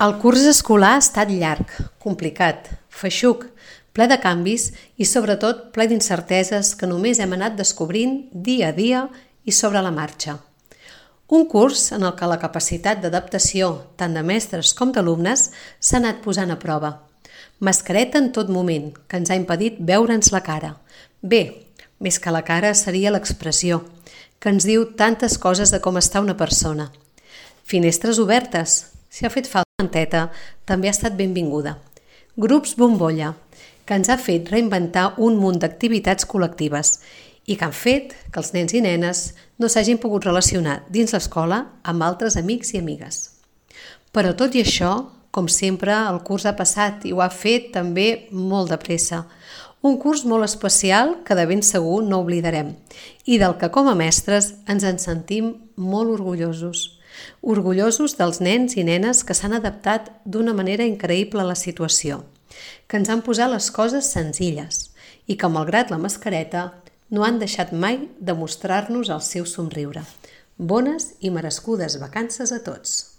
El curs escolar ha estat llarg, complicat, feixuc, ple de canvis i sobretot ple d'incerteses que només hem anat descobrint dia a dia i sobre la marxa. Un curs en el que la capacitat d'adaptació tant de mestres com d'alumnes s'ha anat posant a prova. Mascareta en tot moment, que ens ha impedit veure'ns la cara. Bé, més que la cara seria l'expressió, que ens diu tantes coses de com està una persona. Finestres obertes, si ha fet falta manteta, també ha estat benvinguda. Grups bombolla, que ens ha fet reinventar un munt d'activitats col·lectives i que han fet que els nens i nenes no s'hagin pogut relacionar dins l'escola amb altres amics i amigues. Però tot i això, com sempre, el curs ha passat i ho ha fet també molt de pressa. Un curs molt especial que de ben segur no oblidarem i del que com a mestres ens en sentim molt orgullosos. Orgullosos dels nens i nenes que s'han adaptat d'una manera increïble a la situació, que ens han posat les coses senzilles i que, malgrat la mascareta, no han deixat mai de mostrar-nos el seu somriure. Bones i merescudes vacances a tots!